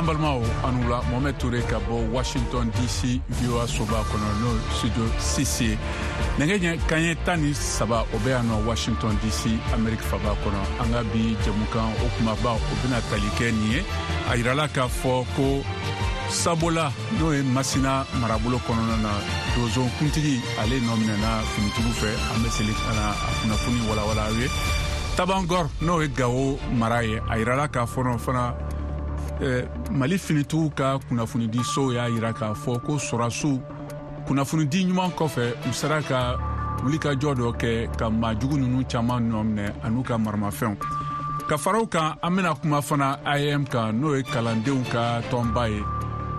An balimaw, aw ni wula. Mohamed Toure ka bɔ Washington DC, VOA soba kɔnɔ, n'o studio 6 ye. Nɛgɛ ɲɛ kanɲɛ 13, o bɛ yan nɔ Washington DC, Amerique faba kɔnɔ. An ka bi jɛmukan o kumaba, o bɛna tali kɛ nin ye. A yirala k'a fɔ ko Sabola, n'o ye Masina marabolo kɔnɔna na, donso kuntigi, ale nɔ minɛna finitigiw fɛ. An bɛ seli ka na a kunnafoni walawala aw ye. Tabangɔr, n'o ye Gawo mara ye, a yirala k'a fɔ fana Mali finitigiw ka kunnafonidisow y'a yira k'a fɔ ko sɔrɔdasiw kunnafonidi ɲuman kɔfɛ, u sera ka wulikajɔ dɔ kɛ ka maajugu ninnu caman nɔ minɛ an'u ka maramafɛnw. Ka fara o kan, an bɛna kuma fana AEEM kan, n'o ye kalandenw ka tɔnba ye,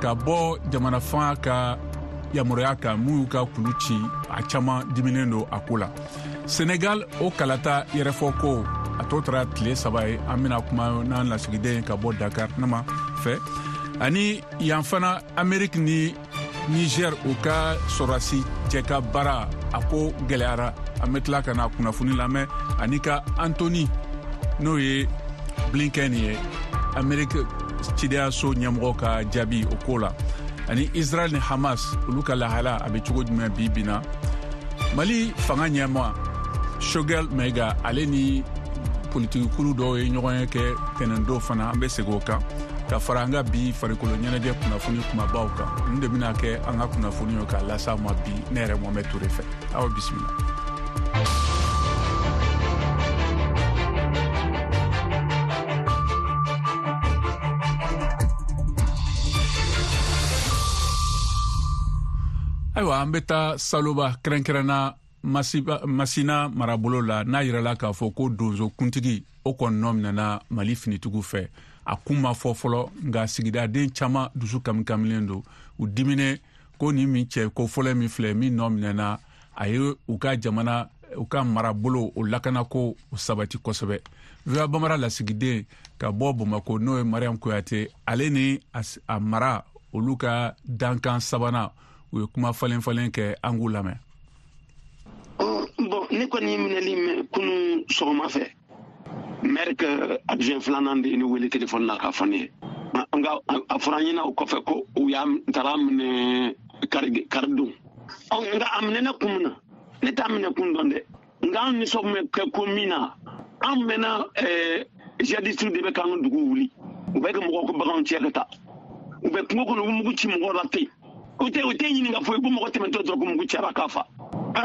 ka bɔ jamana fanga ka yamaruya kan mun y'u ka kulu ci, a caman diminen don a ko la. Senegal, o kalata yɛrɛfɔ ko a tɔ taara tile 3 ye. An bɛna kuma n'an lasigiden ka bɔ Dakar nama fɛ. Ani yan fana, Ameriki ni Niger, u ka sɔrɔdasi cɛ ka baara, a ko gɛlɛyara. An bɛ tila ka na kunnafoni lamɛn ani ka Antony, n'o ye Blinken ye, Ameriki cidenyaso ɲɛmɔgɔ ka jaabi o ko la. Ani Israel ni Hamas, olu ka lahala a bɛ cogo jumɛn bi bi na? Mali fanga ɲɛma Choguel Maïga, ale ni politikikulu dɔw ye ɲɔgɔn ye kɛ tɛnɛndon fana. An bɛ segin o kan ka fara an ka bi farikolo ɲɛnajɛ kunnafoni kumabaw kan. Nin de bɛna kɛ an ka kunnafoni ye k'a lase ma bi, ne yɛrɛ Mohamed Toure fɛ. Aw bisimila. Ayiwa, an bɛ taa Saloba, kɛrɛnkɛrɛnna Masina marabolo la, n'a yirala k'a fɔ ko donso kuntigi, o kɔni nɔ minɛna Mali finitigiw fɛ. A kun ma fɔ fɔlɔ, nka sigidaden caman dusu kamikamilen don, u diminen ko nin min cɛ ko fɔlɔ min filɛ min nɔ minɛna, a ye u ka jamana, u ka marabolo, o lakanako o sabati kosɛbɛ. VOA Bambara lasigiden ka bɔ Bamako, n'o ye Mariam Kuyate, ale ni a mara olu ka dankan sabanan, u ye kuma falen falen kɛ. An k'u lamɛn. Bon, ne kɔni ye minɛli mɛn kunun sɔgɔma fɛ. Maire ka adjoint filanan de ye ne wele téléphone na k'a fɔ ne ye. Nka a fɔra an ɲɛna o kɔfɛ ko u y'a taara minɛ kari karidon. Nka a minɛna kun min na, ne t'a minɛ kun dɔn dɛ. Nka an nisɔn bɛ kɛ ko min na, an mɛnna jihadistes de bɛ k'an ka dugu wuli. U bɛ ka mɔgɔw ka baganw cɛ ka taa. U bɛ kungo kɔnɔ, u bɛ mugu ci mɔgɔw la ten. U tɛ ɲininka foyi, u bɛ mɔgɔ tɛmɛtɔ dɔrɔn ko mugu cɛra k'a fa.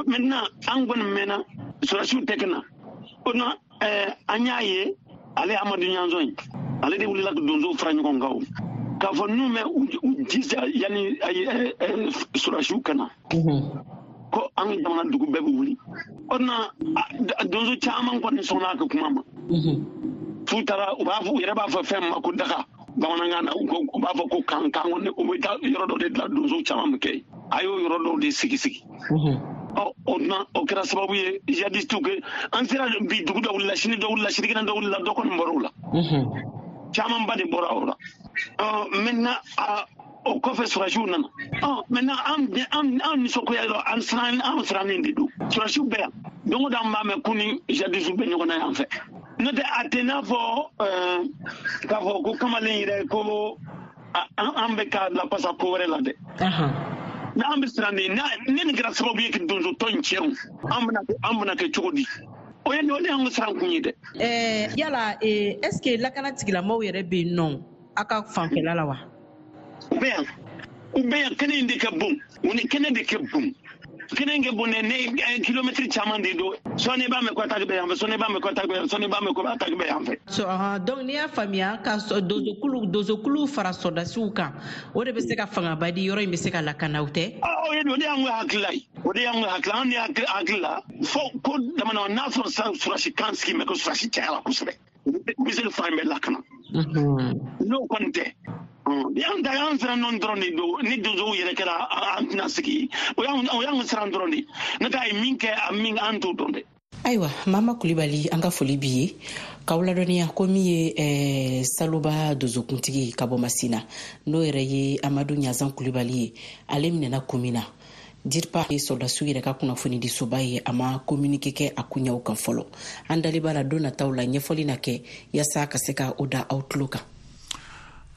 Maintenant, an kɔni mɛnna sɔrɔdasiw tɛ ka na. O na an y'a ye, ale Amadu Ɲanzɔn in, ale de wulila ka donsow fara ɲɔgɔn kan o k'a fɔ n'u bɛ u jija yanni sɔrɔdasiw ka na, ko an ka jamana dugu bɛɛ bɛ wuli. O na donso caman kɔni sɔnna a ka kuma ma. F'u taara, u b'a fɔ, u yɛrɛ b'a fɔ fɛn min ma ko daga bamanankan na, u b'a fɔ ko kan kan kɔni. U bɛ taa yɔrɔ dɔ de dilan, donso caman bɛ kɛ yen. A y'o yɔrɔ dɔw de sigi sigi. Ɔ, o na o kɛra sababu ye jihadistes kɛ an sera bi dugu dɔ wulila, sini dɔ wulila, sinikɛnɛ dɔ wulila, dɔ kɔni bɔra o la, camanba de bɔra o la. Ɔ, maintenant, o kɔfɛ sɔrɔdasiw nana. Ɔ, maintenant, an nisɔngoya yɔrɔ, an siran, an sirannen de don. Sɔrɔdasiw bɛ yan don o don, an b'a mɛn ko ni jihadistes bɛ ɲɔgɔn na yan fɛ. N'o tɛ, a tɛ n'a fɔ k'a fɔ ko kamalen yɛrɛ ko an bɛ ka lapasa ko wɛrɛ la dɛ. Mais an bɛ siran de ne nin kɛra sababu ye ka donso tɔ in tiɲɛ, an bɛna kɛ cogo di? O ye o de y'an ka siran kun ye dɛ. Yala est ce que lakana tigilamɔgɔw yɛrɛ bɛ yen nɔ aw ka fanfɛla la wa? U bɛ yan, u bɛ yan. Kɛnɛ in de ka bon, u ni kɛnɛ de ka bon. Kɛnɛ in ka bon dɛ, ne kilomɛtiri caman de don. Sɔɔni i b'a mɛn ko attaque bɛ yan fɛ, sɔɔni i b'a mɛn ko attaque bɛ yan, sɔɔni i b'a mɛn ko attaque bɛ yan fɛ. So, donc n'i y'a faamuya, ka donsokulu fara sɔrɔdasiw kan, o de bɛ se ka fangaba di, yɔrɔ in bɛ se ka lakana, o tɛ? O de y'an ka hakilila ye, o de y'an ka hakilila. An de hakili la fo ko dama n'a sɔrɔ sisan sɔrɔdasi kan sigi mɛ ko sɔrɔdasi cayara kosɛbɛ, u bɛ se ka fan bɛɛ lakana. N'o kɔni tɛ, an ta y'an siran nɔ dɔrɔn de don. Ni donsow yɛrɛ kɛra, an tɛna sigi. O y'an siran dɔrɔn de. N'o tɛ, a ye min kɛ, a min, an t'o dɔn dɛ. Ayiwa, Mama Kulibali, an ka foli b'i ye k'aw ladɔnniya ko min ye Saloba donsokuntigi ka bɔ Masina, n'o yɛrɛ ye Amadu Ɲazan Kulibali ye, ale minɛna kun min na, DIRPA ye sɔrɔdasiw yɛrɛ ka kunnafonidisoba ye, a ma communiqué kɛ a kunɲaw kan fɔlɔ. An dalen b'a la, don nataw la, ɲɛfɔli na kɛ yaasa ka se ka o da aw tulo kan.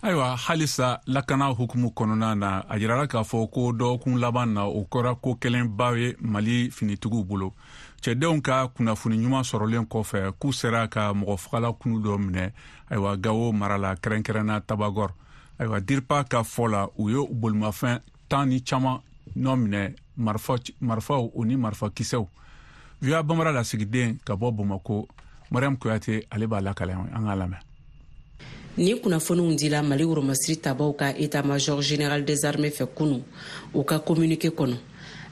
Ayiwa, halisa lakana hukumu kɔnɔna na, a yirala k'a fɔ ko dɔgɔkun laban na, o kɛra ko kɛlenba ye Mali finitigiw bolo. Cɛdenw ka kunnafoni ɲuman sɔrɔlen kɔfɛ k'u sera ka mɔgɔfagala kulu dɔ minɛ, ayiwa, Gawo mara la, kɛrɛnkɛrɛnna Tabagɔr. Ayiwa, DIRPA ka fɔ la, u ye bolimafɛn 10 ni caman nɔ minɛ, marifaw o ni marifakisɛw. VOA Bambara lasigiden ka bɔ Bamako, Mariam Kuyate, ale b'a lakale, an k'a lamɛn. Ni kunnafoniw dila Mali woromasiri tabaw ka état major général des armées fɛ kunu. U ka communiqué kɔnɔ,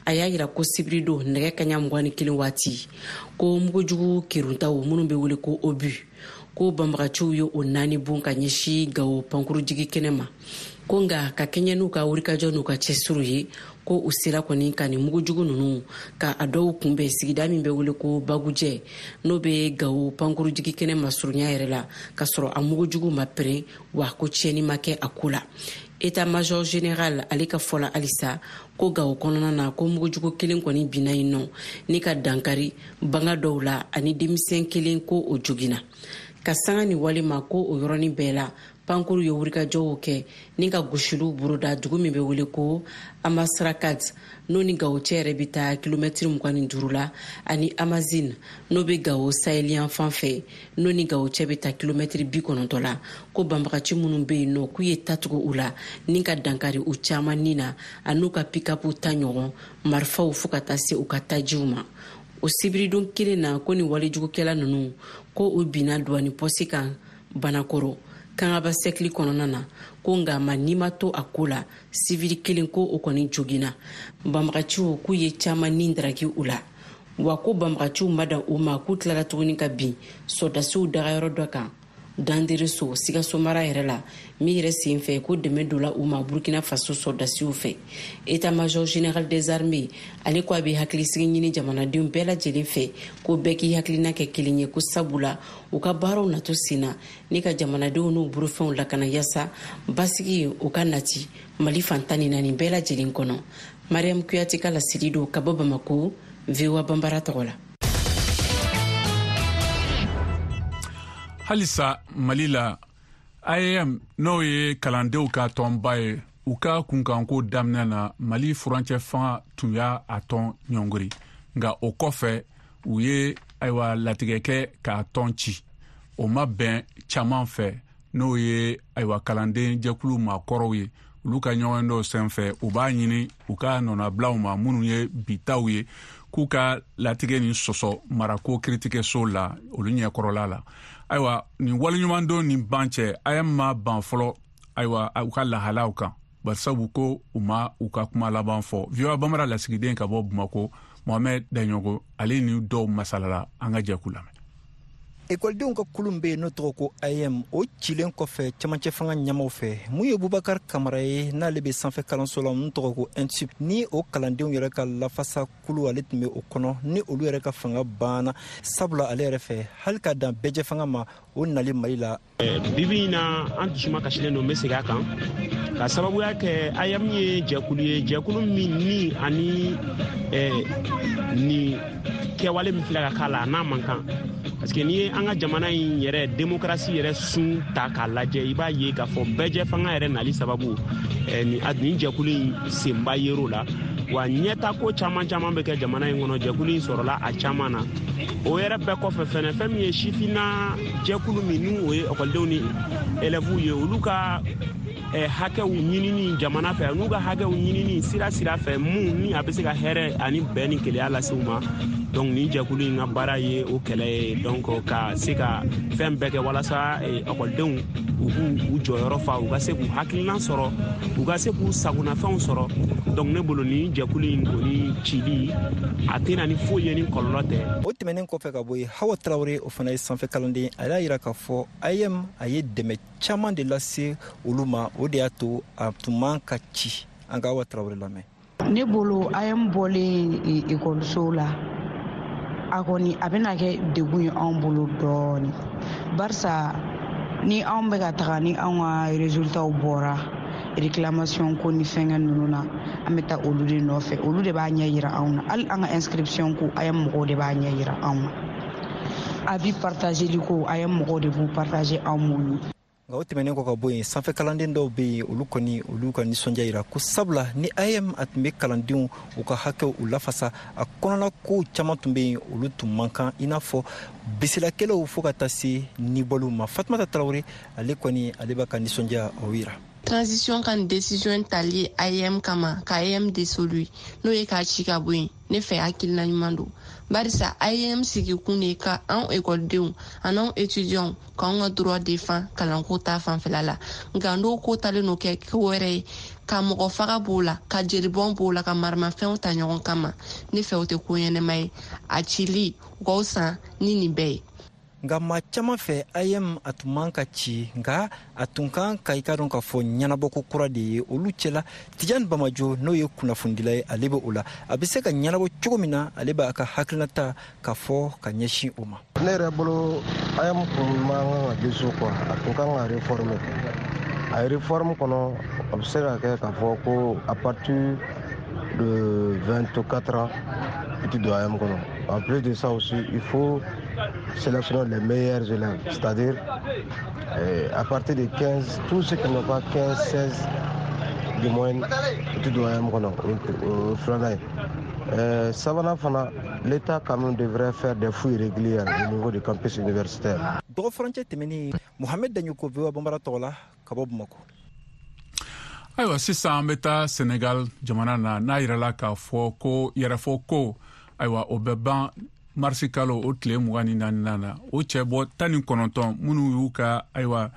a y'a yira ko sibiridon nɛgɛ kaɲa 21 waati, ko mugujugu keruntaw minnu bɛ wele ko obus, ko banbagaciw ye o naani bon ka ɲɛsin Gawo pankurujigi kɛnɛ ma. Ko nka ka kɛɲɛ n'u ka wulikajɔ n'u ka cɛsiriw ye, ko u sera kɔni ka nin mugujugu ninnu ka a dɔw kunbɛn sigida min bɛ wele ko Bagujɛ, n'o bɛ Gawo pankurujigi kɛnɛ masurunya yɛrɛ la, k'a sɔrɔ a mugujugu ma pɛrɛn, wa ko tiɲɛni ma kɛ a ko la. État major général ale ka fɔ la halisa ko Gawo kɔnɔna na, ko mugujugu kelen kɔni binna yen nɔ ni ka dankari banga dɔw la, ani denmisɛn kelen ko o joginna. Ka sanga ni wale ma, ko o yɔrɔnin bɛɛ la, pankuru ye wulikajɔw kɛ ni ka gosiliw boroda dugu min bɛ wele ko Amasrakat, n'o ni Gawo cɛ yɛrɛ bɛ taa kilomɛtiri 25 la, ani Amazine, n'o bɛ Gawo saheliyan fan fɛ, n'o ni Gawo cɛ bɛ taa kilomɛtiri 90 la. Ko banbagaci minnu bɛ yen nɔ, k'u ye tatugu u la ni ka dankari u caman ni na, an'u ka pikapu ta ɲɔgɔn marifaw, fo ka taa se u ka tajiw ma. O sibiridon kelen na, ko ni walejugukɛla ninnu, ko u binna duwani pɔsi kan Banakɔrɔ Kangaba sɛkili kɔnɔna na. Ko nka ma n'i ma to a ko la, sivili kelen ko o kɔni joginna. Banbagaciw k'u ye caman ni daraki u la. Wa ko banbagaciw ma dan u ma, k'u tilara tuguni ka bin sɔrɔdasiw dagayɔrɔ dɔ kan Dandereso, Sikaso mara yɛrɛ la, min yɛrɛ sen fɛ ko dɛmɛ donna u ma Burkina Faso sɔrɔdasiw fɛ. État major général des armées ale ko a bɛ hakilisigi ɲini jamanadenw bɛɛ lajɛlen fɛ, ko bɛɛ k'i hakilina kɛ kelen ye, ko sabula u ka baaraw nato sen na ni ka jamanadenw n'u bolofɛnw lakana, yasa basigi o ka nati Mali fan 14 bɛɛ lajɛlen kɔnɔ. Mariam Kuyate ka laseli don ka bɔ Bamako, VOA Bambara tɔgɔ la. Halisa Mali la, AEEM, n'o ye kalandenw ka tɔnba ye, u ka kunkanko daminɛ na, Mali furancɛ fanga tun y'a a tɔn ɲɔngiri. Nka o kɔfɛ, u ye, ayiwa, latigɛ kɛ k'a tɔn ci. O ma bɛn caman fɛ, n'o ye, ayiwa, kalanden jɛkulu maakɔrɔw ye. Olu ka ɲɔgɔn dɔw senfɛ, u b'a ɲini u ka nɔnabilaw ma minnu ye bitaw ye, k'u ka latigɛ nin sɔsɔ marako kiritigɛso la olu ɲɛkɔrɔla la. Ayiwa, nin waleɲumandon nin ban cɛ, AEEM ma ban fɔlɔ, ayiwa, u ka lahalaw kan, barisabu ko u ma u ka kuma laban fɔ. VOA Bambara lasigiden ka bɔ Bamako, Mohamɛd Daɲɔgɔ, ale ni dɔw masalala. An ka jɛ k'u lamɛn. Ekɔlidenw ka kulun bɛ yen n'o tɔgɔ ko AEEM, o cilen kɔfɛ cɛmancɛ fanga ɲɛmaw fɛ, mun ye Bubakar Kamara ye, n'ale bɛ sanfɛ kalanso la mun tɔgɔ ko ENSUP, ni o kalandenw yɛrɛ ka lafasa kulu ale tun bɛ o kɔnɔ, ni olu yɛrɛ ka fanga banna, sabula ale yɛrɛ fɛ, hali ka dan bɛɛjɛ fanga ma o nali Mali la. Bibi in na, an dusuma kasilen don. N bɛ segin a kan ka sababuya kɛ AEEM ye jɛkulu ye, jɛkulu min ni ani nin kɛwale min filɛ ka k'a la, a n'a man kan, parce que n'i ye an ka jamana in yɛrɛ démocratie yɛrɛ sun ta k'a lajɛ, i b'a ye k'a fɔ bɛɛjɛ fanga yɛrɛ nali sababu, nin jɛkulu in senba yer'o la. Wa ɲɛta ko caman caman bɛ kɛ jamana in kɔnɔ, jɛkulu in sɔrɔla a caman na. O yɛrɛ bɛɛ kɔfɛ fɛnɛ, fɛn min ye sifinna jɛkulu min n'u o ye ekɔlidenw ni élèves ye, olu ka hakɛw ɲinini jamana fɛ, n'u ka hakɛw ɲinini sira sira fɛ mun ni a bɛ se ka hɛrɛ ani bɛn ni kelenya lase u ma. Donc nin jɛkulu in ka baara ye o kɛlɛ ye, donc ka se ka fɛn bɛɛ kɛ walasa ekɔlidenw u k'u u jɔyɔrɔ fa, u ka se k'u hakilina sɔrɔ, u ka se k'u sagonafɛnw sɔrɔ. Donc ne bolo, nin jɛkulu in kɔni cili, a tɛna ni foyi ye ni kɔlɔlɔ tɛ. O tɛmɛnen kɔfɛ ka bɔ yen, Hawa Tarawele, o fana ye sanfɛ kalanden, a y'a yira k'a fɔ AEEM a ye dɛmɛ caman de lase olu ma, o de y'a to a tun man ka ci. An ka Hawa Tarawele lamɛn. Ne bolo, AEEM bɔlen ekɔliso la, a kɔni a bɛna kɛ degun ye anw bolo dɔɔni, barisa ni anw bɛ ka taga ni anw ka résultats bɔra réclamation ko ni fɛnkɛ ninnu na, an bɛ taa olu de nɔfɛ, olu de b'a ɲɛ yira anw na. Hali an ka inscription ko, AEEM mɔgɔw de b'a ɲɛ yira anw na. Avis partageli ko, AEEM mɔgɔw de b'u partager anw m'o ye. Nka o tɛmɛnen kɔ ka bɔ yen, sanfɛ kalanden dɔw bɛ yen, olu kɔni olu ka nisɔndiya yira ko sabula ni AEM a tun bɛ kalandenw u ka hakɛw u lafasa, a kɔnɔna kow caman tun bɛ yen, olu tun man kan, i n'a fɔ bisilakɛlaw fo ka taa se nibɔliw ma. Fatumata Tarawele, ale kɔni ale b'a ka nisɔndiya o yira. Transition ka décision tali AEM kama ka AEM dissolu, n'o ye k'a ci ka bɔ yen, ne fɛ hakilina ɲuman don, barisa AEM sigikun de ka anw ekɔlidenw an'anw étudiants k'anw ka droit défend kalanko ta fanfɛla la. Nka n'o ko talen no kɛ ko wɛrɛ ye, ka mɔgɔ faga b'o la, ka jelibɔn b'o la, ka maramafɛnw ta ɲɔgɔn kama, ne fɛ o tɛ ko ɲɛnɛma ye. A cili u k'aw san ni nin bɛɛ ye. Nka maa caman fɛ, AEM a tun man ka ci, nka a tun kan ka i ka dɔn k'a fɔ ɲɛnabɔko kura de ye olu cɛla. Tijani Bamajo, n'o ye kunnafonidila ye, ale bɛ o la, a bɛ se ka ɲɛnabɔ cogo min na, ale b'a ka hakilinata ka fɔ ka ɲɛsin o ma. Ne yɛrɛ bolo, AEM kun man kan ka dissous quoi, a tun kan ka réformer. A réforme kɔnɔ, a bɛ se ka kɛ k'a fɔ ko à partir de 24 ans i tɛ don AEM kɔnɔ. En plus de ça aussi, il faut sélectionner les meilleurs élèves, c'est-à-dire à partir de 15, tous ceux qui n'ont pas 15, 16 de moyenne, tu dois AEM kɔnɔ. O filanan ye. Sabanan fana, l'État quand même devrait faire des fouilles régulières au niveau du campus universitaire. Dɔgɔ furancɛ tɛmɛnen, Mohamed Daɲoko, VOA Banbara tɔgɔ la ka bɔ Bamakɔ. Ayiwa, sisan an bɛ taa Senegal jamana na, n'a yirala k'a fɔ ko yɛrɛfɔ ko, ayiwa, o bɛ ban marisi kalo o tile 24nan na. O cɛbɔ 19 minnu y'u ka, ayiwa,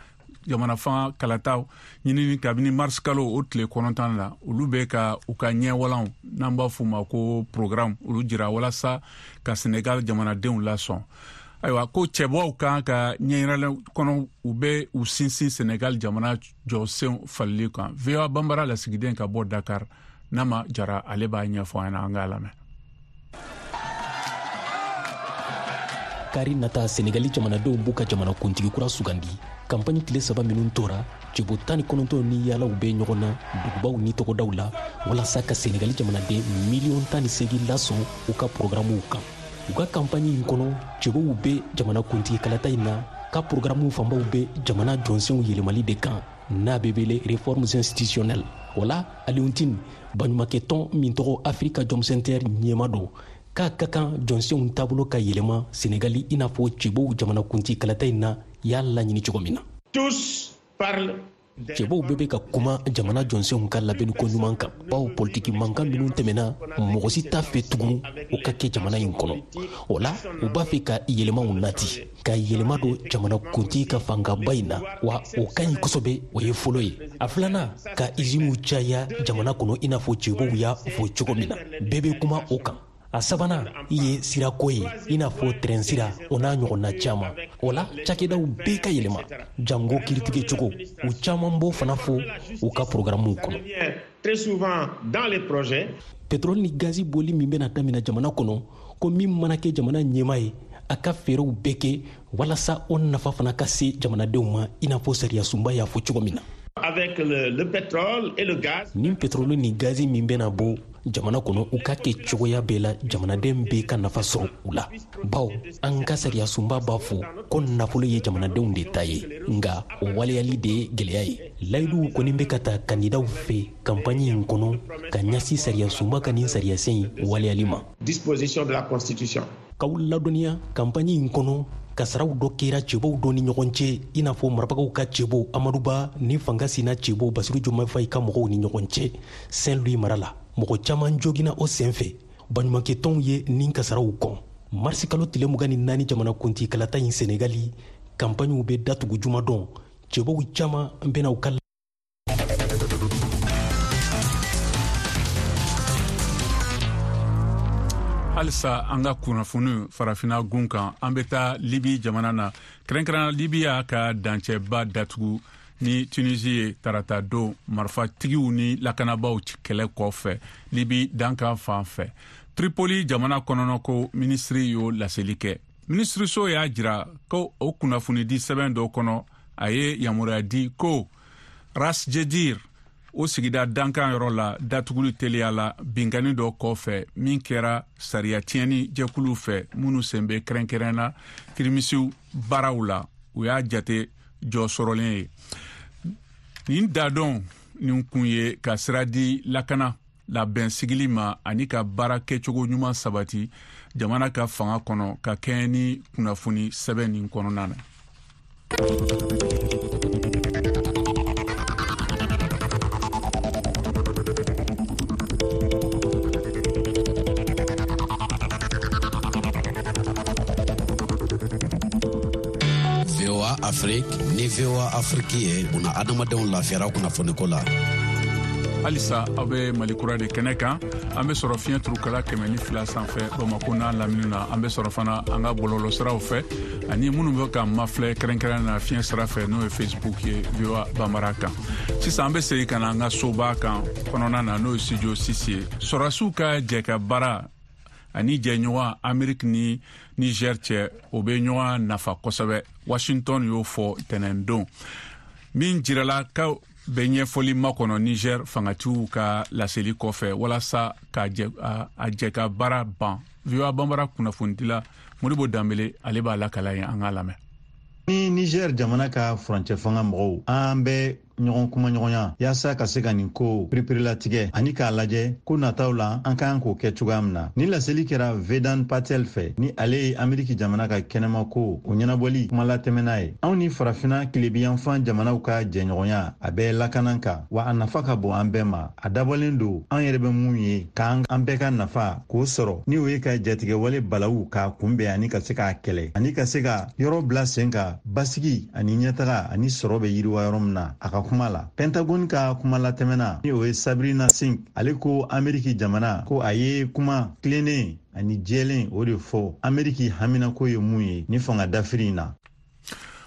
jamana fanga kalataw ɲinini kabini marisi kalo o tile 9 la, olu bɛ ka u ka ɲɛwalanw, n'an b'a f'u ma ko programme, olu jira walasa ka Senegal jamanadenw lasɔn. Ayiwa, ko cɛbɔw kan ka ɲɛyiralen kɔnɔ, u bɛ u sinsin Senegal jamana jɔsenw falili kan. VOA Banbara lasigiden ka bɔ Dakar, Nama Jara, ale b'a ɲɛfɔ an ɲɛna, an k'a lamɛn. Kari nata, Senegali jamanadenw b'u ka jamana kuntigi kura sugandi. Kanpaɲi tile 3 minnu tora, cɛbɔ 19 ni yaalaw bɛ ɲɔgɔn na dugubaw ni togodaw la walasa ka Senegali jamanaden miliyɔn 18 lasɔn u ka porogaramuw kan. U ka kanpaɲi in kɔnɔ, cɛbɔw bɛ jamana kuntigi kalata in na ka porogaramu fanbaw bɛ jamana jɔnsenw yɛlɛmali de kan, n'a bɛ wele réformes institutionnelles. O la, Alioune Tine, baɲumankɛtɔn min tɔgɔ Africa Jom Center ɲɛma don, k'a ka kan jɔnsenw taabolo ka yɛlɛma Senegali, i n'a fɔ cɛbɔw jamanakuntigi kalata in na y'a laɲini cogo min na. Cɛbɔw bɛɛ bɛ ka kuma jamana jɔnsenw ka labɛnni ko ɲuman kan, bawo politiki mankan minnu tɛmɛna, mɔgɔ si t'a fɛ tugun o ka kɛ jamana in kɔnɔ. O la, u b'a fɛ ka yɛlɛmaw nati, ka yɛlɛma don jamanakuntigi ka fangaba in na, wa o ka ɲi kosɛbɛ. O ye fɔlɔ ye. A filanan, ka iziniw caya jamana kɔnɔ, i n'a fɔ cɛbɔw y'a fɔ cogo min na, bɛɛ bɛ kuma o kan. A sabanan ye sirako ye, i n'a fɔ tɛrɛn sira, o n'a ɲɔgɔnna caman. O la, cakɛdaw bɛɛ ka yɛlɛma, jango kiiritigɛ cogo, u caman b'o fana fɔ u ka porogaramuw kɔnɔ. Petroli ni gazi bɔli min bɛna daminɛ jamana kɔnɔ, ko min mana kɛ jamana ɲɛmaa ye, a ka fɛɛrɛw bɛɛ kɛ walasa o nafa fana ka se jamanadenw ma, i n'a fɔ sariyasunba y'a fɔ cogo min na. Avec le pétrole et le gaz. Ni pétrole ni gazi min bɛna bɔ jamana kɔnɔ, u ka kɛ cogoya bɛɛ la jamanaden bɛɛ ka nafa sɔrɔ u la, bawo an ka sariyasunba b'a fɔ ko nafolo ye jamanadenw de ta ye, nka o waleyali de ye gwɛlɛya ye. Layiduw kɔni bɛ ka ta kandidaw fɛ kanpaɲi in kɔnɔ ka ɲɛsin sariyasunba ka nin sariyasen in waleyali ma. Disposition de la Constitution. K'aw ladɔnniya, kanpaɲi in kɔnɔ, kasaraw dɔ kɛra cɛbɔw dɔ ni ɲɔgɔn cɛ, i n'a fɔ marabagaw ka cɛbɔ Amadu Ba ni fanga sina cɛbɔ Basiru Jomayi Fayi ka mɔgɔw ni ɲɔgɔn cɛ Saint Louis mara la. Mɔgɔ caman jogina o sen fɛ. Baɲumankɛtɔnw ye nin kasaraw kɔn. Marisi kalo tile 24 jamanakuntigi kalata in Senegali kanpaɲiw bɛ datugu jumadon. Cɛbɔw caman bɛna u ka Halisa an ka kunnafoni farafina gun kan, an bɛ taa Libi jamana na, kɛrɛnkɛrɛnna Libi y'a ka dancɛba datugu ni Tunisie ye tarata don, marifatigiw ni lakanabaaw kɛlɛ kɔfɛ Libi dankan fan fɛ. Tripoli jamana kɔnɔnako minisiri y'o laseli kɛ. Minisiriso y'a jira ko o kunnafonidi sɛbɛn dɔ kɔnɔ, a ye yamaruya di ko Ras Jedir, o sigida dankan yɔrɔ la, datuguli teliya la binkanni dɔ kɔfɛ min kɛra sariya tiɲɛni jɛkulu fɛ minnu sen bɛ kɛrɛnkɛrɛnna kirimisiw baaraw la. U y'a jate jɔ sɔrɔlen ye. Nin dadɔn nin kun ye ka sira di lakana labɛn sigili ma ani ka baara kɛcogo ɲuman sabati jamana ka fanga kɔnɔ ka kɛɲɛ ni kunnafoni sɛbɛn nin kɔnɔna na. VOA Afrique ni VOA Afrique ye buna adamadenw lafiyara kunnafoniko la. Halisa aw bɛ Mali Kura de kɛnɛ kan. An bɛ sɔrɔ fiɲɛ turukala 102 sanfɛ Bamako n'a lamini na. An bɛ sɔrɔ fana an ka bɔlɔlɔsiraw fɛ ani minnu bɛ ka mafilɛ kɛrɛnkɛrɛn na fiɲɛ sira fɛ, n'o ye Facebook ye VOA Bambara kan. Sisan an bɛ segin ka na an ka soba kan kɔnɔna na, n'o ye studio 6 ye. Sɔrɔdasiw ka jɛ ka baara ani jɛɲɔgɔn Ameriki ni Niger cɛ, o bɛ ɲɔgɔn nafa kosɛbɛ. Washington y'o fɔ tɛnɛndon min jirala ka bɛ ɲɛfɔli makɔnɔ Niger fangatigiw ka laseli kɔfɛ walasa ka a jɛ ka baara ban. VOA Bambara kunnafonidila Modibo Danbele, ale b'a lakala ye, an k'a lamɛn. Ni Niger jamana ka furancɛ fanga mɔgɔw, an bɛ ɲɔgɔn kumaɲɔgɔnya yaasa ka se ka nin ko pereperelatigɛ ani k'a lajɛ ko nataw la an ka kan k'o kɛ cogoya min na. Ni laseli kɛra Vedant Patel fɛ, ni ale ye Ameriki jamana ka kɛnɛmako o ɲɛnabɔli kumalatɛmɛna ye. Anw ni farafina tilebiyanfan jamanaw ka jɛɲɔgɔnya, a bɛ lakana kan, wa a nafa ka bon an bɛɛ ma. A dabɔlen don an yɛrɛ bɛ mun ye k'an an bɛɛ ka nafa k'o sɔrɔ, ni o ye ka jatigɛwale balawu k'a kunbɛn ani ka se k'a kɛlɛ ani ka se ka yɔrɔ bila sen kan basigi ani ɲɛtaga ani sɔrɔ bɛ yiriwa yɔrɔ min na. A ka kuma la, Pentagone ka kuma latɛmɛna, ni o ye Sabrina Singh, ale ko Ameriki jamana ko a ye kuma tilennen ani jɛlen o de fɔ Ameriki haminako ye mun ye ni fanga dafiri in na.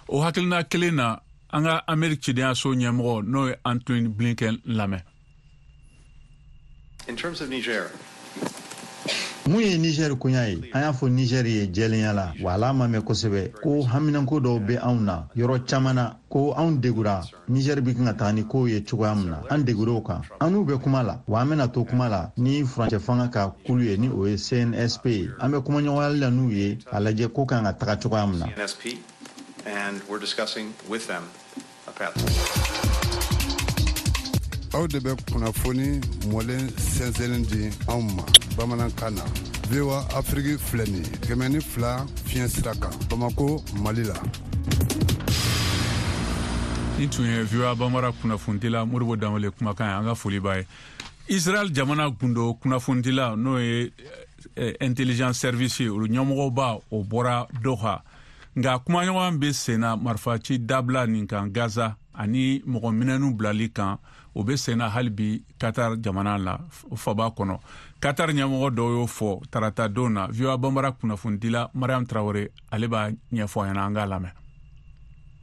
O hakilina kelen na, an ka Ameriki cidenyaso ɲɛmɔgɔ, n'o ye Antony Blinken lamɛn. In terms of Niger, mun ye Niger koɲa ye, an y'a fɔ Niger ye jɛlenya la, wa ala ma mɛn kosɛbɛ ko haminanko dɔw bɛ anw na yɔrɔ caman na, ko anw degura Niger bɛ kan ka taga ni kow ye cogoya min na, an degur'o kan. An n'u bɛ kuma la, wa an bɛna to kuma la ni furancɛ fanga ka kulu ye, ni o ye CNSP ye. An bɛ kumaɲɔgɔnyali la n'u ye k'a lajɛ ko kan ka taga cogoya min na. CNSP, and we're discussing with them a path. Aw de bɛ kunnafoni mɔlen sɛnsɛnlen di anw ma bamanankan na. VOA Afrique filɛ nin ye 102 fiɲɛ sira kan Bamako, Mali la. Nin tun ye VOA Bambara kunnafonidila Modibo Danbele kumakan ye, an ka foli b'a ye. Israel jamana gundo kunnafonidila, n'o ye intelligence service ye, olu ɲɛmɔgɔba, o bɔra Doha. Nka kumaɲɔgɔn bɛ senna marifaci dabila nin kan Gaza ani mɔgɔ minɛnw bilali kan, o bɛ senna hali bi Qatar jamana la faba kɔnɔ. Qatar ɲɛmɔgɔ dɔw y'o fɔ tarata don na. VOA Bambara kunnafonidila Mariam Traore, ale b'a ɲɛfɔ an ɲɛna, an k'a lamɛn.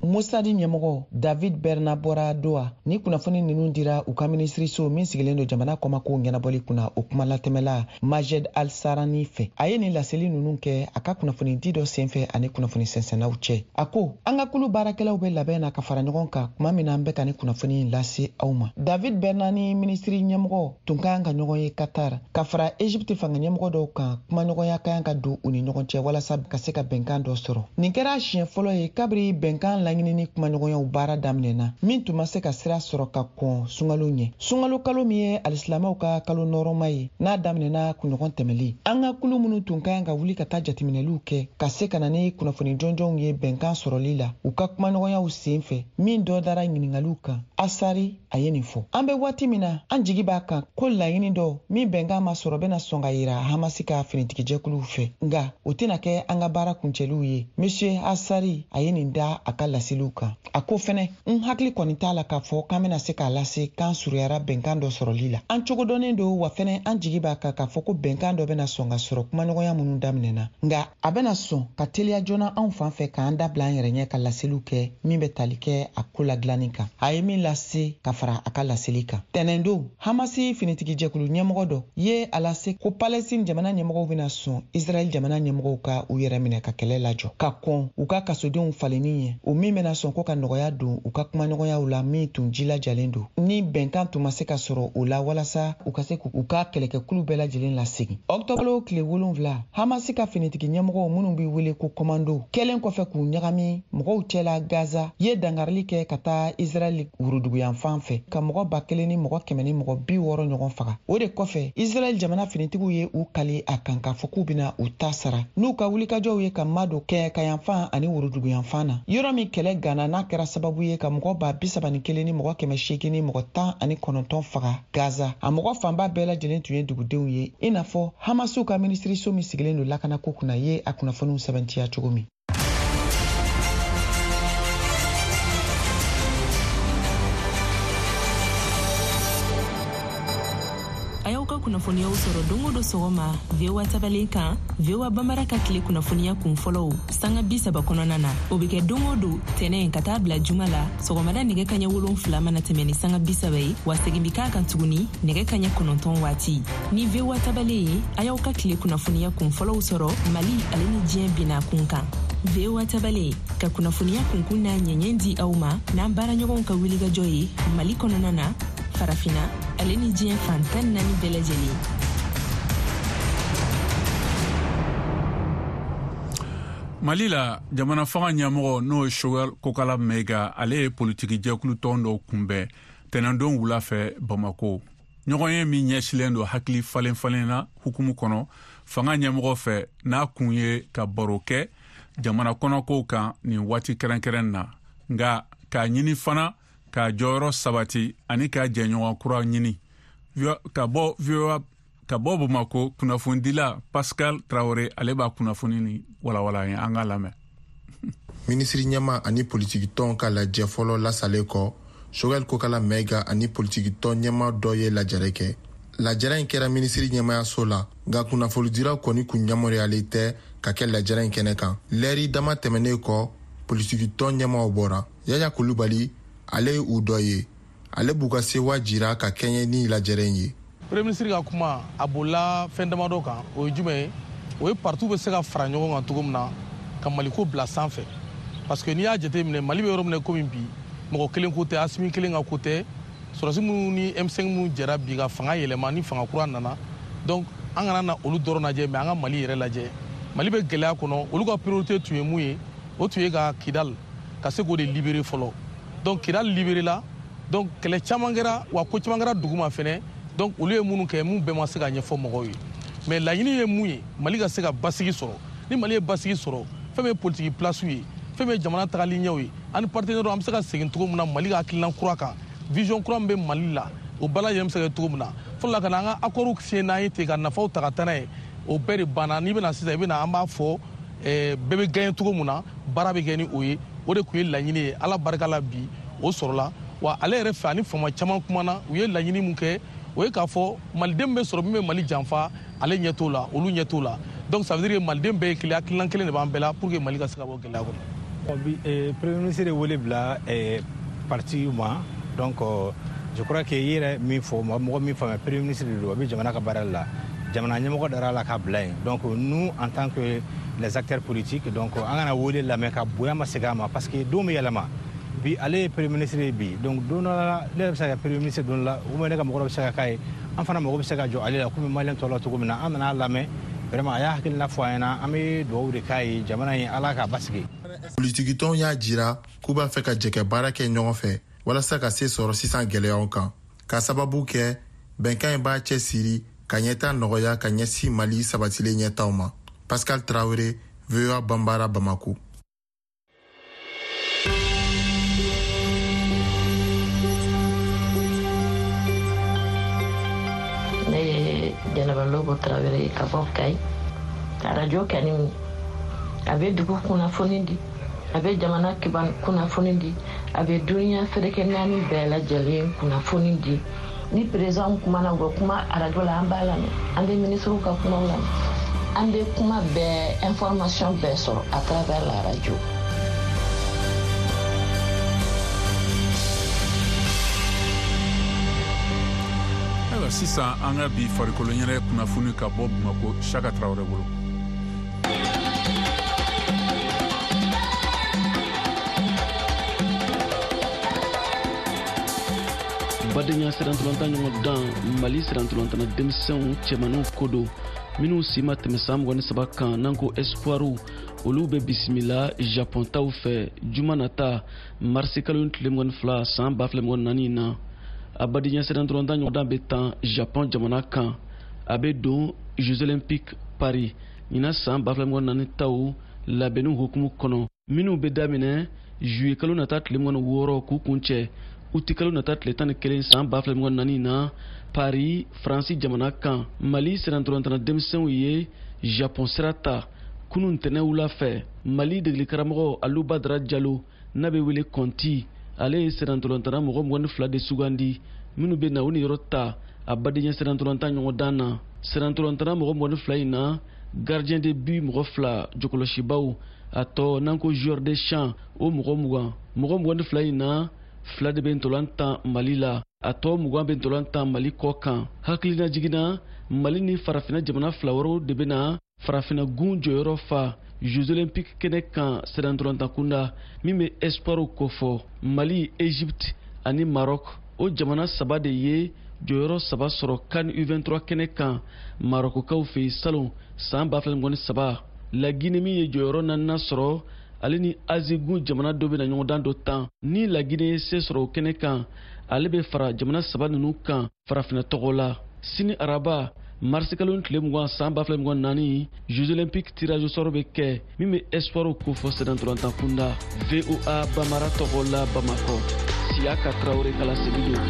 Mossad ɲɛmɔgɔ David Barnea bɔra Doha. Ni kunnafoni ninnu dira u ka minisiriso min sigilen don jamana kɔmakow ɲɛnabɔli kunna, o kuma latɛmɛla Majed Al-Sarani fɛ. A ye nin laseli ninnu kɛ a ka kunnafonidi dɔ senfɛ ani kunnafoni sɛnsɛnnaw cɛ. A ko an ka kulu baarakɛlaw bɛ labɛn na ka fara ɲɔgɔn kan tuma min na an bɛ ka ni kunnafoni in lase aw ma. David Barnea ni minisiri ɲɛmɔgɔ tun ka kan ka ɲɔgɔn ye Qatar ka fara Egypte fanga ɲɛmɔgɔ dɔw kan. Kumaɲɔgɔnya ka kan ka don u ni ɲɔgɔn cɛ walasa ka se ka bɛnkan dɔ sɔrɔ. Nin kɛra siɲɛ fɔlɔ ye kabiri bɛnkan laɲinini kumaɲɔgɔnyaw baara daminɛna, min tun ma se ka sira sɔrɔ ka kɔn sunkalo ɲɛ. Sunkalo kalo min ye alisilamɛw ka kalo nɔrɔma ye, n'a daminɛna kunɲɔgɔn tɛmɛlen, an ka kulu minnu tun ka kan ka wuli ka taa jateminɛliw kɛ ka se ka na ni kunnafoni jɔnjɔnw ye bɛnkan sɔrɔli la u ka kumaɲɔgɔnyaw sen fɛ, min dɔ dara ɲiningaliw kan, Asari a ye nin fɔ. An bɛ waati min na, an jigi b'a kan ko laɲini dɔ min bɛnkan ma sɔrɔ bɛna sɔn ka yira Hamasi ka finitigijɛkuluw fɛ, nka o tɛna kɛ an ka baara kuncɛliw ye. Monsieur Asari a ye nin da a ka laseliw kan. A ko fɛnɛ, n hakili kɔni t'a la k'a fɔ k'an bɛna se k'a lase k'an surunyara bɛnkan dɔ sɔrɔli la. An cogo dɔnnen don, wa fɛnɛ an jigi b'a kan k'a fɔ ko bɛnkan dɔ bɛna sɔn ka sɔrɔ kumaɲɔgɔnya minnu daminɛna, nka a bɛna sɔn ka teliya joona anw fan fɛ k'an da bila an yɛrɛ ɲɛ ka laseliw kɛ min bɛ tali kɛ a ko ladilanni kan. A ye min lase ka fara a ka laseli kan tɛnɛndon, Hamasi finitigijɛkulu ɲɛmɔgɔ dɔ ye a lase ko Palestine jamana ɲɛmɔgɔw bɛna sɔn Israɛl jamana ɲɛmɔgɔw ka u yɛrɛ minɛ ka kɛlɛ lajɔ ka kɔn u ka kasodenw falenni ɲɛ, o min min bɛna sɔn ko ka nɔgɔya don u ka kumaɲɔgɔnyaw la min tun jilajalen don ni bɛnkan tun ma se ka sɔrɔ o la walasa u ka se k'u ka kɛlɛkɛkulu bɛɛ lajɛlen lasegin. Ɔkutɔbukalo tile 7, Hamasi ka finitigi ɲɛmɔgɔw minnu bɛ wele ko kɔmando kɛlen kɔfɛ k'u ɲagami mɔgɔw cɛla Gaza ye dankarili kɛ ka taa Israɛl woroduguyanfan fɛ ka mɔgɔ 1160 ɲɔgɔn faga. O de kɔfɛ, Israɛl jamana finitigiw ye u kali a kan k'a fɔ k'u bɛna u ta sara n'u ka wulikajɔw ye ka madon kɛɲɛkayanfan ani woroduguyanfan na, yɔrɔ min kɛlɛ ganna n'a kɛra sababu ye ka mɔgɔ 31,819 faga Gaza. A mɔgɔ fanba bɛɛ lajɛlen tun ye dugudenw ye, i n'a fɔ Hamasiw ka minisiriso min sigilen don lakanako kunna ye a kunnafoniw sɛbɛntiya cogo min. A y'aw ka kunnafoniyaw sɔrɔ don o don sɔgɔma VOA tabalen kan, VOA Bambara ka tile kunnafoniya kun fɔlɔw sanga 30 kɔnɔna na. O bɛ kɛ don o don tɛnɛ ka taa bila juma la sɔgɔmada nɛgɛ kaɲɛ 7 mana tɛmɛ ni sanga 30 ye, wa segin bɛ k'a kan tuguni nɛgɛ kaɲɛ 9 waati. Ni VOA tabalen ye, a y'aw ka tile kunnafoniya kun fɔlɔw sɔrɔ Mali ale ni diɲɛ bina kun kan. VOA tabalen ka kunnafoniya kunkun n'a ɲɛɲɛ di aw ma n'an baaraɲɔgɔnw ka wulikajɔ ye Mali kɔnɔna na, Farafina ale ni diɲɛ fan 14 bɛɛ lajɛlen. Mali la, jamana fanga ɲɛmɔgɔ n'o ye Choguel Kokala Maïga, ale ye politiki jɛkulu tɔn dɔw kunbɛn tɛnɛndon wula fɛ Bamako. Ɲɔgɔn ye min ɲɛsilen don hakili falen falen na hukumu kɔnɔ fanga ɲɛmɔgɔ fɛ, n'a kun ye ka baro kɛ jamana kɔnɔkow kan nin waati kɛrɛnkɛrɛn na, nka k'a ɲini fana k'a jɔyɔrɔ sabati ani k'a jɛɲɔgɔn kura ɲini. Ka bɔ Bamako, kunnafonidila Pascal Traoré, ale b'a kunnafoni ni walawala ye, an k'a lamɛn. Minisiri ɲɛma ani politikitɔn ka lajɛ fɔlɔ lasalen kɔ, Choguel Kokala Maïga ani politikitɔn ɲɛma dɔ ye lajɛrɛ kɛ. Lajɛrɛ in kɛra minisiri ɲɛmayaso la, nka kunnafonidiraw kɔni kun yamaruyalen tɛ ka kɛ lajɛrɛ in kɛnɛ kan. Lɛri dama tɛmɛnen kɔ, politikitɔn ɲɛmaw bɔra. Yaya Kulubali, ale ye u dɔ ye. Ale b'u ka sewa jira ka kɛɲɛ ni lajɛrɛ in ye. Premier ministre ka kuma a bolila fɛn damadɔ kan, o ye jumɛn ye? O ye parti bɛ se ka fara ɲɔgɔn kan cogo min na ka Maliko bila sanfɛ. Parce que n'i y'a jateminɛ, Mali bɛ yɔrɔ min na komi bi, mɔgɔ kelen ko tɛ, Asimi kelen ka ko tɛ, sɔrɔdasi minnu ni M5 minnu jɛra bi ka fanga yɛlɛma ni fanga kura nana. Donc an kana na olu dɔrɔn lajɛ, mais an ka Mali yɛrɛ lajɛ. Mali bɛ gɛlɛya kɔnɔ, olu ka priorité tun ye mun ye? O tun ye ka Kidal ka se k'o de libérer fɔlɔ. Donc Kidal libéré la, donc kɛlɛ caman kɛra, wa ko caman kɛra duguma fɛnɛ. Donc olu ye minnu kɛ, mun bɛɛ ma se ka ɲɛfɔ mɔgɔw ye. Mais laɲini ye mun ye? Mali ka se ka basigi sɔrɔ. Ni Mali ye basigi sɔrɔ, fɛn min ye politique place ye, fɛn min ye jamana tagali ɲɛw ye, ani partenaire an bɛ se ka segin cogo min na Mali ka hakilina kura kan, vision kura min bɛ Mali la, o bɛɛ lajɛlen bɛ se ka kɛ cogo min na. Fɔlɔ la ka na an ka accord signé n'an ye ten ka nafaw ta ka taa n'a ye, o bɛɛ de banna. N'i bɛna sisan, i bɛna an b'a fɔ bɛɛ bɛ gagner cogo min na, baara bɛ kɛ ni o ye. O de tun ye laɲini ye. Ala barika la bi o sɔrɔla. Wa ale yɛrɛ fɛ, ani faama caman kumana, u ye laɲini mun kɛ, o ye k'a fɔ maliden bɛ sɔrɔ min bɛ Mali janfa, ale ɲɛ t'o la, olu ɲɛ t'o la. Donc ça veut dire que maliden bɛɛ ye kelen, hakilina kelen de b'an bɛɛ la pour que Mali ka se ka bɔ gɛlɛya kɔnɔ. Bi premier ministre ye wele bila parti ma. Donc je crois que i yɛrɛ min fɔ, mɔgɔ min faamuya, premier ministre de don, a bɛ jamana ka baara la, jamana ɲɛmɔgɔ dara la k'a bila yen. Donc nous, en tant que les acteurs politiques, donc an kana wele lamɛn ka bonya ma segin a ma, parce que don bɛ yɛlɛma. Bi ale ye premier ministre ye bi, donc don dɔ la ne yɛrɛ bɛ se ka kɛ premier ministre don dɔ la, ou bien ne ka mɔgɔ dɔ bɛ se ka k'a ye, an fana mago bɛ se ka jɔ ale la komi maliyɛn tɔw la cogo min na. An nana lamɛn, vraiment a y'a hakilina fɔ an ɲɛna, an bɛ dugawu de k'a ye, jamana in Ala k'a basigi. Politikitɔnw y'a jira k'u b'a fɛ ka jɛ baara kɛ ɲɔgɔn fɛ walasa ka se sɔrɔ sisan gɛlɛyaw kan, k'a sababu kɛ bɛnkan in b'a cɛsiri ka ɲɛta nɔgɔya ka ɲɛsin Mali sabatilen ɲɛtaw ma. Pascal Traoré, VOA Bambara, Bamako. Ne ye Jɛnɛba Lobo Tarawele ye ka bɔ Kayi. Arajo kani a bɛ dugu kunnafoni di, a bɛ jamana kunnafoni di, a bɛ duniya seleke naani bɛɛ lajɛlen kunnafoni di. Ni président kumana, u bɛ kuma arajo la, an b'a lamɛn, an bɛ ministres ka kumaw lamɛn, an bɛ kuma bɛɛ, information bɛɛ sɔrɔ à travers la radio. Ayiwa, sisan an ka bi farikolo ɲɛnajɛ kunnafoni ka bɔ Bamako, Saka Tarawele bolo. Badenya sennantolatan ɲɔgɔndan Mali sennantolatanna denmisɛnw cɛmanninw ko don, minnu si ma tɛmɛ san 23 kan, n'an ko espoiru, olu bɛ bisimila Japon taw fɛ juma nata, marisi kalo tile 22 san 2024 na. A badenya sennantolatan ɲɔgɔndan bɛ tan Japon jamana kan. A bɛ don Jeux olympiques Paris ɲinan san 2024 taw labɛnniw hukumu kɔnɔ, minnu bɛ daminɛ juillet kalo nata tile 26 k'u kuncɛ uti kalo nata tile 11 san 2024 na Paris, Faransi jamana kan. Mali sennantolatanna denmisɛnw ye Japon sira ta kunun ntɛnɛn wula fɛ. Mali degelikaramɔgɔ Alu Badara Jalo, n'a bɛ wele Kɔnti, ale ye sennantolatanna mɔgɔ 22 de sugandi minnu bɛ na u niyɔrɔ ta a badenya sennantolatan ɲɔgɔndan na. Sennantolatanna mɔgɔ 22 in na, gardien de but mɔgɔ 2, jɔkɔlɔsibaw, a tɔ n'an ko joueur de champ, o mɔgɔ 20. Mɔgɔ 22 in na, 2 de bɛ ntolan tan Mali la, a tɔ 20 bɛ ntolan tan Mali kɔ kan. Hakilina jiginna, Mali ni farafinna jamana 2 wɛrɛw de bɛ na farafinna gun jɔyɔrɔ fa Jeux olympiques kɛnɛ kan sennantolatan kunda, min bɛ espoiru kofɔ. Mali, Egypte ani Maroc, o jamana 3 de ye jɔyɔrɔ 3 sɔrɔ CAN U23 kɛnɛ kan Marokokaw fɛ yen salon san 2023. Laginɛ min ye jɔyɔrɔ 4nan sɔrɔ, ale ni Azi gun jamana dɔ bɛna ɲɔgɔndan dɔ tan. Ni Laginɛ ye se sɔrɔ o kɛnɛ kan, ale bɛ fara jamana 3 ninnu kan farafinna tɔgɔ la. Sini araba, marisi kalo tile 20 san 2024, Jeux olympiques tirage au sort bɛ kɛ, min bɛ espoiru kofɔ sennantolatan kunda. VOA Bamara tɔgɔ la Bamakɔ, Siyaka Tarawele ka laseli don.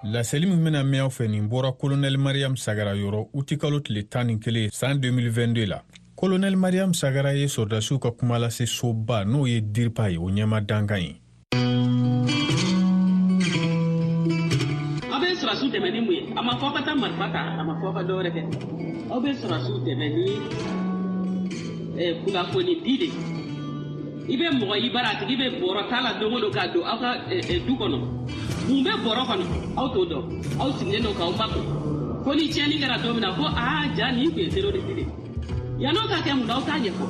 Laseli min bɛna mɛn aw fɛ nin bɔra Kolonɛli Mariam Sagara yɔrɔ utikalo tile 11 san 2022 la. Kolonɛli Mariam Sagara ye sɔrɔdasiw ka kumalase soba, n'o ye DIRPA ye, o ɲɛma dankan ye. Aw bɛ sɔrɔdasiw dɛmɛ ni mun ye? A ma fɔ aw ka taa marifa ta, a ma fɔ aw ka dɔwɛrɛ kɛ. Aw bɛ sɔrɔdasiw dɛmɛ ni kunnafoni di de. I bɛ mɔgɔ i bara, a tigi bɛ bɔrɔ ta la don o don ka don aw ka du kɔnɔ. Mun bɛ bɔrɔ kɔnɔ? Aw t'o dɔn. Aw sigilen don k'aw makun. Ko ni tiɲɛni kɛra don min na, ko aa ja nin tun ye terroriste de ye. Yann'o ka kɛ, mun na aw t'a ɲɛfɔ?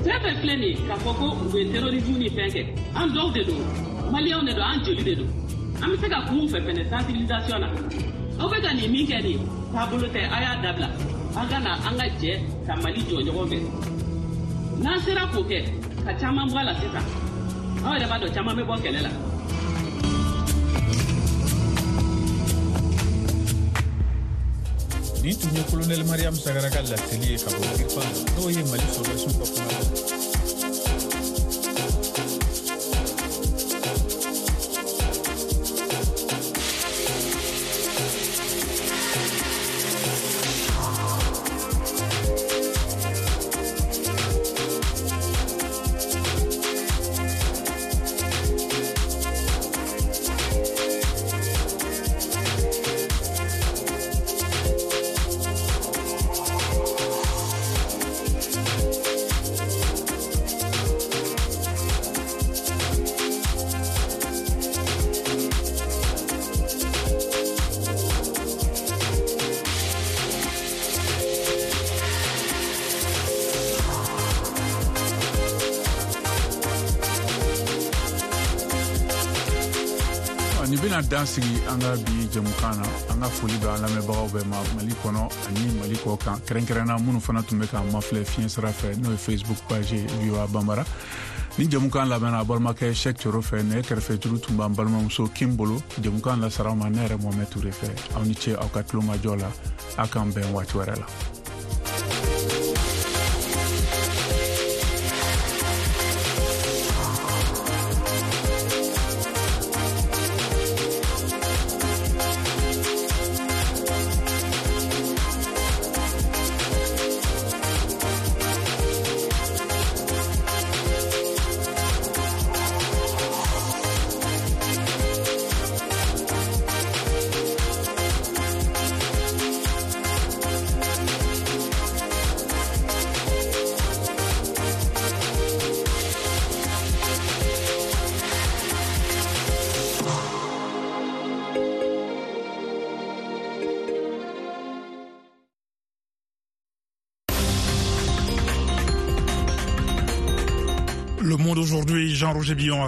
Fɛn fɛn filɛ nin ye k'a fɔ ko u bɛ terrorisme ni fɛn kɛ, an dɔw de don, maliyɛnw de don, an joli de don. An bɛ se ka kun fɛ fɛnɛ sensibilisation na. Aw bɛ ka nin min kɛ nin ye, taabolo tɛ, a y'a dabila. An ka na an ka jɛ ka Mali jɔ ɲɔgɔn fɛ. N'an sera k'o kɛ, ka caman bɔ a la sisan, aw yɛrɛ b'a dɔn caman bɛ bɔ kɛlɛ la. Nin tun ye Kolonɛli Mariam Sagara ka laseli ye ka bɔ DIRPA, n'o ye Mali sɔrɔdasiw ka kuma. Nin bɛna dan sigi an ka bi jɛmukan na. An ka foli bɛ an lamɛnbagaw bɛɛ ma Mali kɔnɔ ani Mali kɔ kan, kɛrɛnkɛrɛnna minnu fana tun bɛ k'an mafilɛ fiɲɛ sira fɛ, n'o ye Facebook page VOA Bambara. Ni jɛmukan labɛnna a balimakɛ Cheikh Coro fɛ, nɛgɛ kɛrɛfɛ juru tun b'an balimamuso Kim bolo. Jɛmukan lasara aw ma ne yɛrɛ Mohamed Toure fɛ. Aw ni ce aw ka tulomajɔ la. A k'an bɛn waati wɛrɛ la. Aujourd'hui, Jean-Roger Billon.